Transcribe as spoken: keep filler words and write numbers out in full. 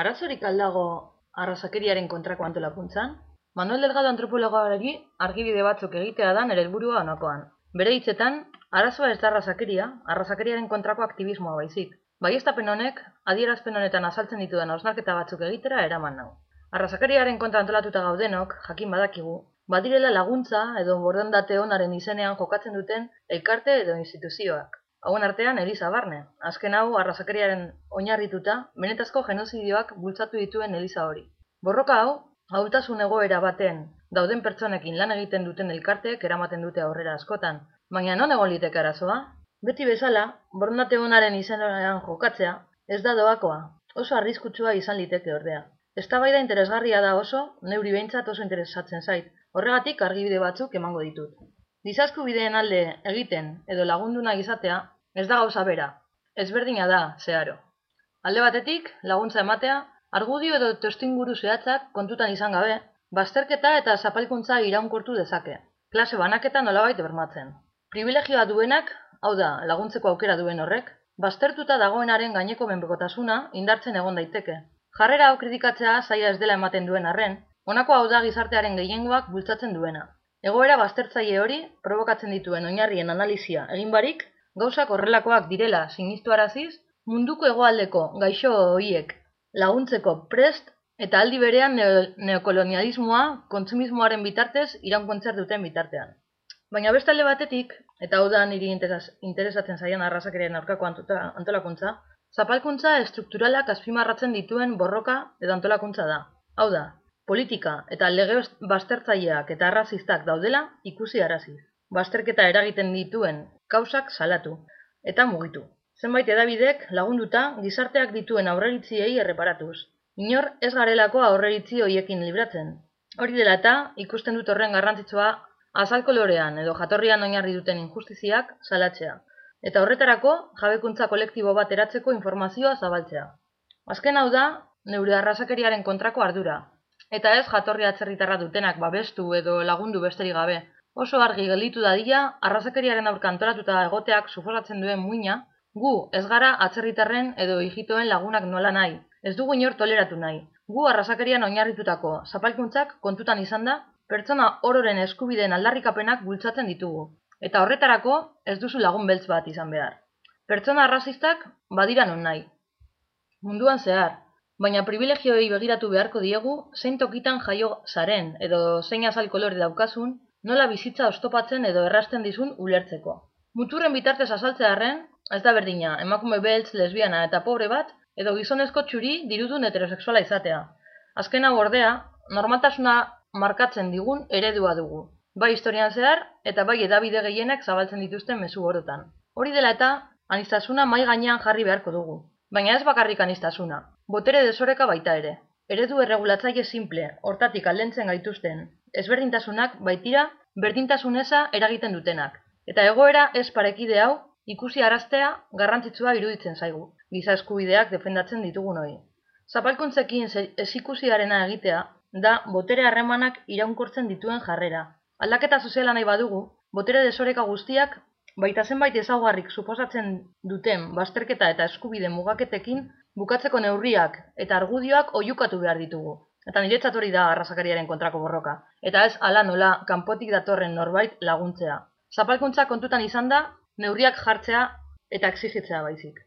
Arazorik aldago arrazakeriaren kontrako antolakuntzan? Manuel Delgado antropologoari argibide batzuk egitea da nere helburua honakoan. Bere hitzetan, arazoa ez da arrazakeria, arrazakeriaren kontrako aktivismoa baizik. Baieztapen honek, adierazpen honetan azaltzen ditudan hausnarketa batzuk egitera eraman nau. Arrazakeriaren kontra antolatuta gaudenok, jakin badakigu, badirela laguntza edo borondate onaren izenean jokatzen duten elkarte edo instituzioak. Hauen artean Eliza barne, azken hau arrazakeriaren oinarrituta, benetazko genozidioak bultzatu dituen Eliza hori. Borroka hau, ahultasun egoera baten dauden pertsonekin lan egiten duten elkarteek eramaten dute aurrera askotan, baina non egon liteke arazoa? Beti bezala, borondate onaren izenean jokatzea, ez da doakoa, oso arriskutsua izan liteke ordea. Eztabaida interesgarria da oso, neuri behintzat oso interesatzen zait, horregatik argibide batzuk emango ditut. Giza eskubideen alde egiten edo lagundu nahi izatea, ez da gauza bera, ezberdina da, zeharo. Alde batetik, laguntza ematea, argudio edo testuinguru zehatzak kontutan izan gabe, bazterketa eta zapalkuntza iraunkortu dezake, klase banaketa nolabait bermatzen. Privilegioa duenak, hau da, laguntzeko aukera duen horrek, baztertuta dagoenaren gaineko menpekotasuna indartzen egon daiteke. Jarrera hau kritikatzea zaila ez dela ematen duen arren, honako hau da gizartearen gehiengoak bultzatzen duena. Egoera baztertzaile hori, provokatzen dituen oinarrien analizia egin barik, gauzak horrelakoak direla sinistuaraziz, munduko hegoaldeko gaixo horiek laguntzeko prest eta aldi berean neokolonialismoa kontsumismoaren bitartez iraunkontzer duten bitartean. Baina beste alde batetik, eta hau da niri interesatzen zaion arrazakeriaren aurkako antolakuntza, zapalkuntza estrukturalak azpimarratzen dituen borroka edo antolakuntza da. Hau da, politika eta lege baztertzaileak eta arrazistak daudela ikusi araziz. Bazterketa eragiten dituen kausak salatu eta mugitu. Zenbait edabidek lagunduta gizarteak dituen aurreritziei erreparatuz. Inor ez garelako aurreritzi horiekin libratzen. Hori dela eta ikusten dut horren garrantzitsua azalkolorean edo jatorrian oinarri duten injustiziak salatzea. Eta horretarako jabekuntza kolektibo bat eratzeko informazioa zabaltzea. Azken hau da neure arrazakeriaren kontrako ardura. Eta ez jatorri atzerritarra dutenak babestu edo lagundu besterik gabe. Oso argi gelditu dadila, arrazakeriaren aurka antolatuta egoteak suposatzen duen muina, gu ez gara atzerritarren edo hijitoen lagunak nola nahi, ez dugu inor toleratu nahi. Gu arrazakerian oinarritutako zapalkuntzak kontutan izan da, pertsona ororen eskubideen aldarrikapenak bultzatzen ditugu. Eta horretarako ez duzu lagun beltz bat izan behar. Pertsona arrazistak badira non nahi. Munduan zehar, baina privilegioei begiratu beharko diegu zein tokitan jaio zaren edo zein azal kolore daukazun, nola bizitza oztopatzen edo errasten dizun ulertzeko. Muturren bitartez azaltzearren, ez da berdina, emakume beltz, lesbiana eta pobre bat, edo gizonezko txuri dirudun heterosexuala izatea. Azken hau ordea, normaltasuna markatzen digun eredua dugu. Bai historian zehar, eta bai edabide gehienek zabaltzen dituzten mezu orotan. Hori dela eta, aniztasuna mai gainean jarri beharko dugu. Baina ez bakarrik aniztasuna, botere desoreka baita ere. Eredu erregulatzaile simple, hortatik aldentzen gaituzten, ezberdintasunak baitira berdintasun eza eragiten dutenak. Eta egoera ez parekide hau ikusi araztea garrantzitsua iruditzen zaigu, giza eskubideak defendatzen ditugun hori. Zapalkuntzekin ezikusiarena egitea da botere harremanak iraunkortzen dituen jarrera. Aldaketa soziala nahi badugu, botere desoreka guztiak baita zenbait ezaugarrik suposatzen duten bazterketa eta eskubide mugaketekin bukatzeko neurriak eta argudioak oihukatu behar ditugu. Eta niretzat hori da arrazakeriaren kontrako borroka. Eta ez hala nola kanpotik datorren norbait laguntzea. Zapalkuntza kontutan izan da, neurriak jartzea eta exigitzea baizik.